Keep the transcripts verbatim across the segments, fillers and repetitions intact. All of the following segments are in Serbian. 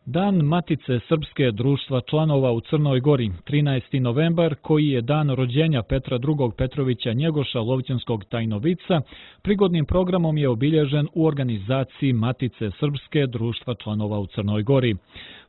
Dan Matice Srpske društva članova u Crnoj Gori, trinaesti novembar, koji je dan rođenja Petra drugog Petrovića Njegoša Lovćenskog tajnovica, prigodnim programom je obilježen u organizaciji Matice Srpske društva članova u Crnoj Gori.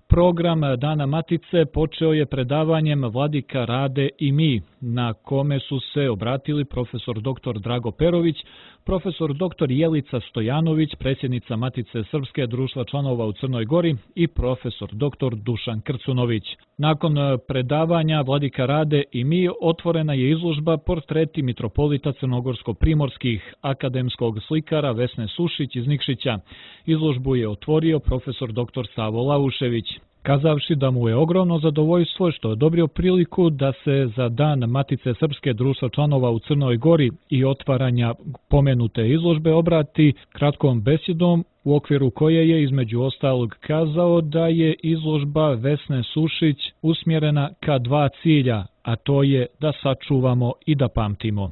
Program Dana Matice počeo je predavanjem Vladika Rade i mi, na kome su se obratili profesor doktor Drago Perović, profesor doktor Jelica Stojanović, predsjednica Matice Srpske društva članova u Crnoj Gori i profesor doktor Dušan Krcunović. Nakon predavanja Vladika Rade i mi otvorena je izložba Portreti mitropolita crnogorsko-primorskih akademskog slikara Vesne Sušić iz Nikšića. Izložbu je otvorio profesor doktor Savo Laušević, kazavši da mu je ogromno zadovoljstvo što je odobrio priliku da se za Dan Matice Srpske društva članova u Crnoj Gori i otvaranja pomenute izložbe obrati kratkom besedom, u okviru koje je između ostalog kazao da je izložba Vesne Sušić usmjerena ka dva cilja, a to je da sačuvamo i da pamtimo.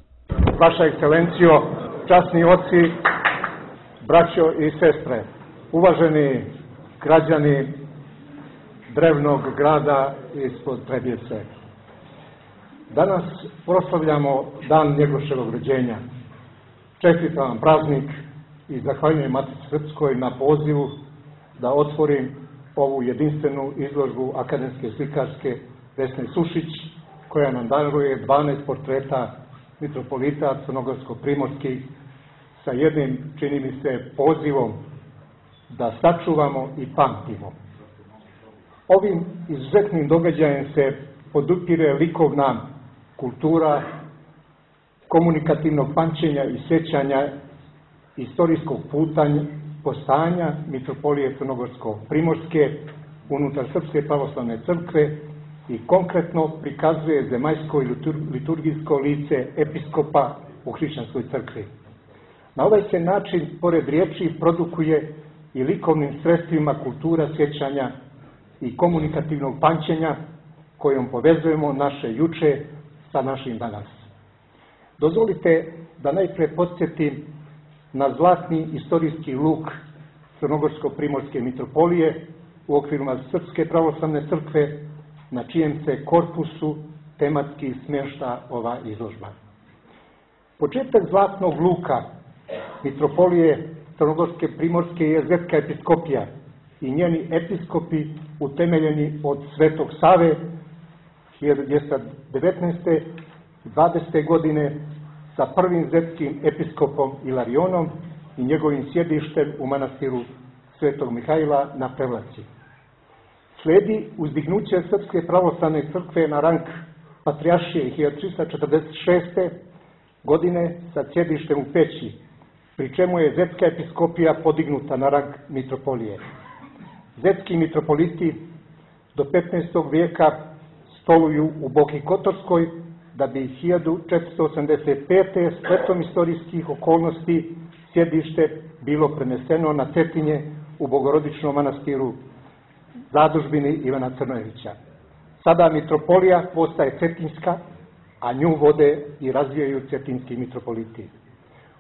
Vaša ekscelencijo, časni oci, braćo i sestre, uvaženi građani drevnog grada ispod Trebjece. Danas proslavljamo dan Njegoševog rođenja. Čestitam vam praznik i zahvaljujem Matici Srpskoj na pozivu da otvorim ovu jedinstvenu izložbu akademske slikarske Vesne Sušić, koja nam daruje dvanaest portreta mitropolita crnogorsko-primorskih sa jednim, čini mi se, pozivom da sačuvamo i pamtimo. Ovim izuzetnim događajem se podupire likovna kultura komunikativnog pamćenja i sjećanja istorijskog putanja, postajanja mitropolije crnogorsko-primorske unutar Srpske pravoslavne crkve i konkretno prikazuje zemaljsko i liturgijsko lice episkopa u hrišćanskoj crkvi. Na ovaj se način, pored riječi, produkuje i likovnim sredstvima kultura sjećanja i komunikativnog pamćenja kojom povezujemo naše juče sa našim danas. Dozvolite da najprije podsjetim na zlatni istorijski luk crnogorsko-primorske mitropolije u okvirima Srpske pravoslavne crkve, na čijem se korpusu tematski smješta ova izložba. Početak zlatnog luka mitropolije crnogorske primorske je Zetska episkopija i njeni episkopi utemeljeni od Svetog Save hiljadu dvjesto devetnaeste. dvadesete. godine sa prvim zetskim episkopom Ilarionom i njegovim sjedištem u manastiru Svetog Mihajla na Prevlaci. Slijedi uzdignuće Srpske pravoslavne crkve na rang patrijaršije hiljadu tristo četrdeset šeste. godine sa sjedištem u Peći, pri čemu je Zetska episkopija podignuta na rang mitropolije. Zetski mitropoliti do petnaestog vijeka stoluju u Boki Kotorskoj, da bi hiljadu četiristo osamdeset pete. spletom istorijskih okolnosti sjedište bilo preneseno na Cetinje u Bogorodičnom manastiru zadužbini Ivana Crnojevića. Sada mitropolija postaje cetinska, a nju vode i razvijaju cetinski mitropoliti.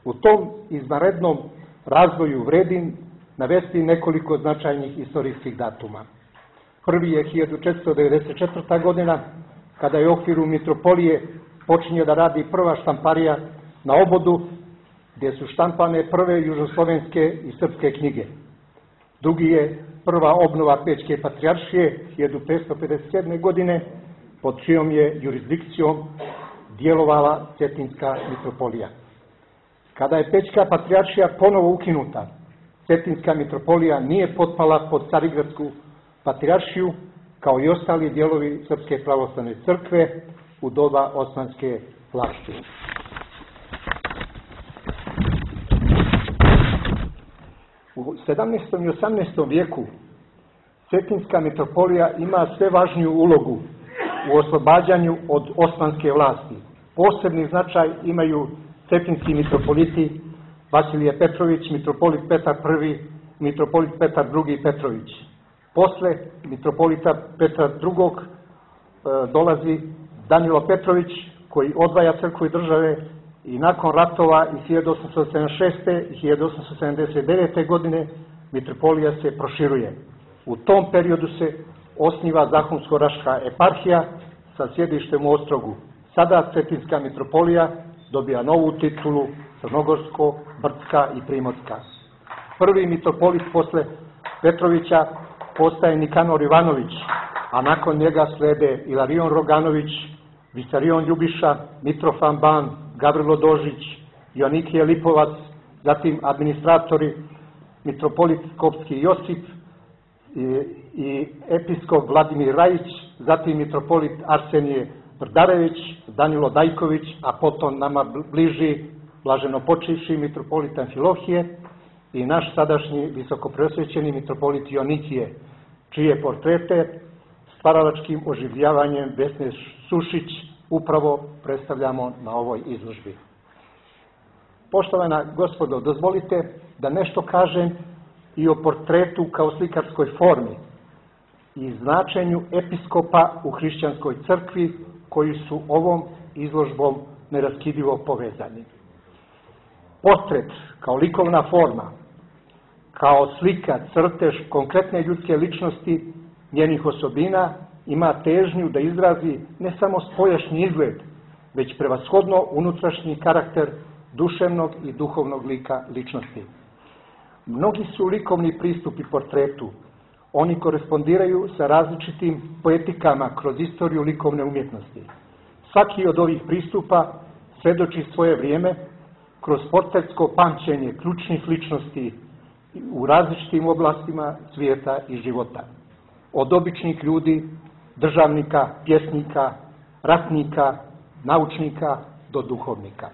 U tom izvanrednom razvoju vredim navesti nekoliko značajnih istorijskih datuma. Prvi je hiljadu četiristo devedeset četvrta. godina, kada je u okviru mitropolije počinje da radi prva štamparija na Obodu, gdje su štampane prve južoslovenske i srpske knjige. Drugi je prva obnova Pećke patrijaršije hiljadu petsto pedeset sedme. godine, pod čijom je jurisdikcijom djelovala Cetinska mitropolija. Kada je Pećka patrijaršija ponovo ukinuta, Cetinska mitropolija nije potpala pod Carigradsku patrijaršiju, kao i ostali dijelovi Srpske pravoslavne crkve u doba osmanske vlasti. U sedamnaestom i osamnaestom vijeku Cetinska mitropolija ima sve važniju ulogu u oslobađanju od osmanske vlasti. Posebni značaj imaju cetinski mitropoliti Vasilije Petrović, mitropolit Petar prvi, mitropolit Petar drugi Petrović. Posle mitropolita Petra drugog. dolazi Danilo Petrović, koji odvaja crkvu i države, i nakon ratova iz hiljadu osamsto sedamdeset šeste. i hiljadu osamsto sedamdeset devete. godine mitropolija se proširuje. U tom periodu se osniva Zahumsko-Raška eparhija sa sjedištem u Ostrogu. Sada Cetinska mitropolija dobija novu titulu Crnogorsko-Brdska i Primorska. Prvi mitropolit posle Petrovića postaje Nikanor Ivanović, a nakon njega slede Ilarion Roganović, Visarion Ljubiša, Mitrofan Ban, Gavrilo Dožić, Joanikije Lipovac, zatim administratori mitropolit Skopski Josip i, i episkop Vladimir Rajić, zatim mitropolit Arsenije Brdarević, Danilo Dajković, a potom nama bliži blaženopočivši mitropolit Amfilohije i naš sadašnji visokopreosvećeni mitropolit Joanikije, čije portrete stvaralačkim oživljavanjem Vesne Sušić upravo predstavljamo na ovoj izložbi. Poštovana gospodo, dozvolite da nešto kažem i o portretu kao slikarskoj formi i značenju episkopa u hrišćanskoj crkvi koji su ovom izložbom neraskidivo povezani. Portret kao likovna forma, kao slika, crtež konkretne ljudske ličnosti, njenih osobina, ima težnju da izrazi ne samo spoljašnji izgled, već prevashodno unutrašnji karakter duševnog i duhovnog lika ličnosti. Mnogi su likovni pristupi portretu. Oni korespondiraju sa različitim poetikama kroz istoriju likovne umjetnosti. Svaki od ovih pristupa svedoči svoje vrijeme kroz portretsko pamćenje ključnih ličnosti u različitim oblastima svijeta i života. Od običnih ljudi, državnika, pjesnika, ratnika, naučnika do duhovnika.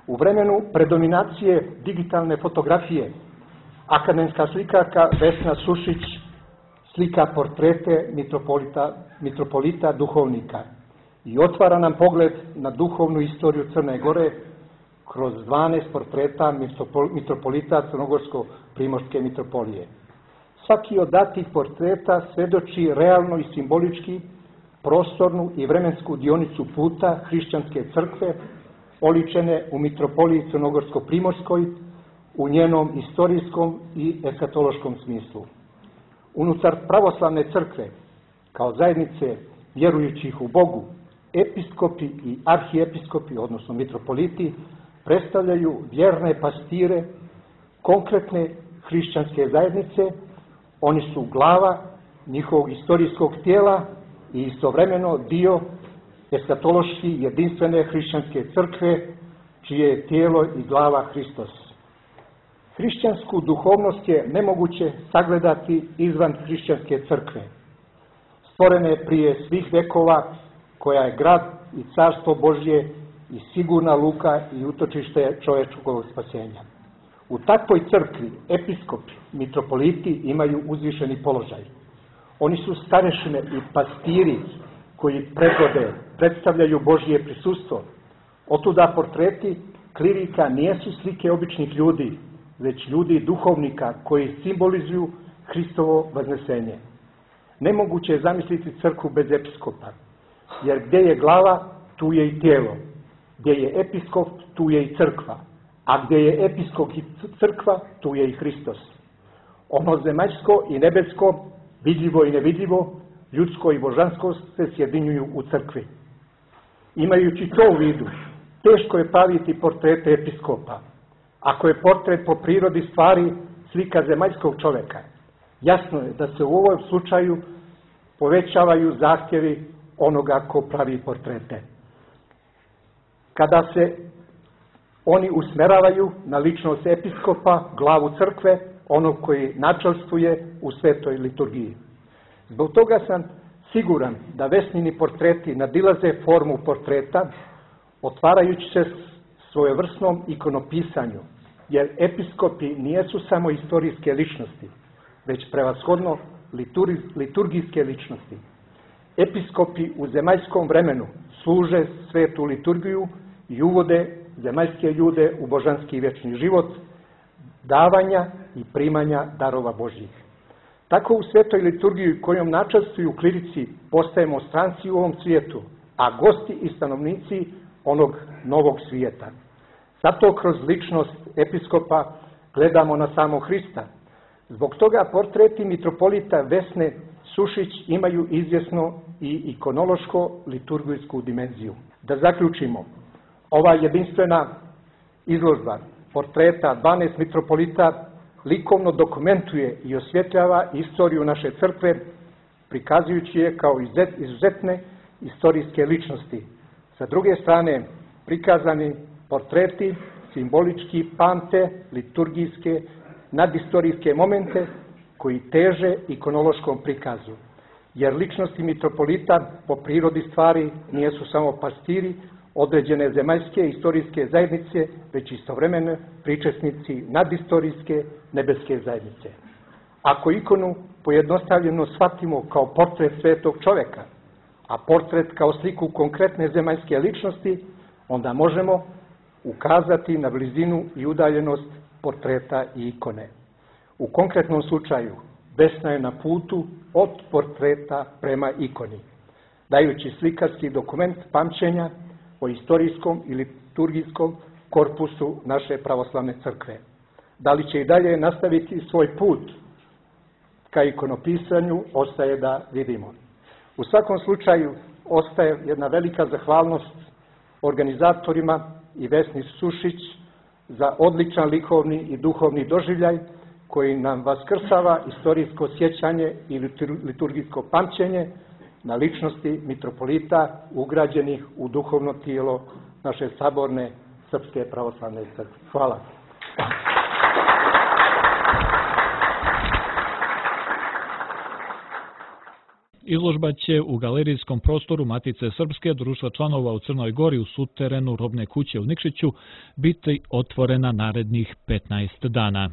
U vremenu predominacije digitalne fotografije akademska slikarka Vesna Sušić slika portrete mitropolita, mitropolita duhovnika i otvara nam pogled na duhovnu istoriju Crne Gore kroz dvanaest portreta mitropolita Crnogorsko-Primorske mitropolije. Svaki od datih portreta svedoči realno i simbolički prostornu i vremensku dionicu puta hrišćanske crkve oličene u mitropoliji Crnogorsko-Primorskoj u njenom istorijskom i eskatološkom smislu. Unutar pravoslavne crkve, kao zajednice vjerujućih u Bogu, episkopi i arhiepiskopi, odnosno mitropoliti, predstavljaju vjerne pastire konkretne hrišćanske zajednice. Oni su glava njihovog istorijskog tijela i istovremeno dio eskatološki jedinstvene hrišćanske crkve, čije je tijelo i glava Hristos. Hrišćansku duhovnost je nemoguće sagledati izvan hrišćanske crkve, stvorene prije svih vekova, koja je grad i carstvo Božje i sigurna luka i utočište čovječkog spasenja. U takvoj crkvi episkopi, mitropoliti imaju uzvišeni položaj. Oni su starešine i pastiri koji predvode, predstavljaju Božje prisustvo. Otuda portreti klirika nijesu slike običnih ljudi, već ljudi duhovnika koji simbolizuju Hristovo vaznesenje. Nemoguće je zamisliti crkvu bez episkopa, jer gdje je glava, tu je i tijelo. Gdje je episkop, tu je i crkva. A gdje je episkop i crkva, tu je i Hristos. Ono zemaljsko i nebesko, vidljivo i nevidljivo, ljudsko i božansko se sjedinjuju u crkvi. Imajući to u vidu, teško je praviti portrete episkopa. Ako je portret po prirodi stvari slika zemaljskog čovjeka, jasno je da se u ovom slučaju povećavaju zahtjevi onoga ko pravi portrete. Kada se oni usmeravaju na ličnost episkopa, glavu crkve, onog koji načelstvuje u svetoj liturgiji. Zbog toga sam siguran da Vesnini portreti nadilaze formu portreta, otvarajući se svojevrsnom ikonopisanju, jer episkopi nijesu samo istorijske ličnosti, već prevashodno liturgijske ličnosti. Episkopi u zemaljskom vremenu služe svetu liturgiju i uvode zemaljske ljude u božanski vječni život, davanja i primanja darova Božjih. Tako u svetoj liturgiji kojom načelstvuju klirici postajemo stranci u ovom svijetu, a gosti i stanovnici onog novog svijeta. Zato kroz ličnost episkopa gledamo na samog Hrista, Zbog toga portreti mitropolita Vesne Sušić imaju izvjesno i ikonološko-liturgijsku dimenziju. Da zaključimo, ova jedinstvena izložba portreta dvanaest mitropolita likovno dokumentuje i osvjetljava istoriju naše crkve, prikazujući je kao izuzetne istorijske ličnosti. Sa druge strane, prikazani portreti simbolički pamte liturgijske, nadistorijske momente koji teže ikonološkom prikazu. Jer ličnosti mitropolita po prirodi stvari nijesu samo pastiri određene zemaljske istorijske zajednice, već istovremeno pričesnici nadistorijske nebeske zajednice. Ako ikonu pojednostavljeno shvatimo kao portret svetog čoveka, a portret kao sliku konkretne zemaljske ličnosti, onda možemo ukazati na blizinu i udaljenost portreta i ikone. U konkretnom slučaju, Vesna je na putu od portreta prema ikoni, dajući slikarski dokument pamćenja o istorijskom i liturgijskom korpusu naše pravoslavne crkve. Da li će i dalje nastaviti svoj put ka ikonopisanju, ostaje da vidimo. U svakom slučaju, ostaje jedna velika zahvalnost organizatorima i Vesni Sušić za odličan likovni i duhovni doživljaj koji nam vaskrsava istorijsko sjećanje i liturgijsko pamćenje na ličnosti mitropolita ugrađenih u duhovno tijelo naše saborne Srpske pravoslavne crkve. Hvala. Izložba će u galerijskom prostoru Matice Srpske, Društva članova u Crnoj Gori u suterenu Robne kuće u Nikšiću biti otvorena narednih petnaest dana.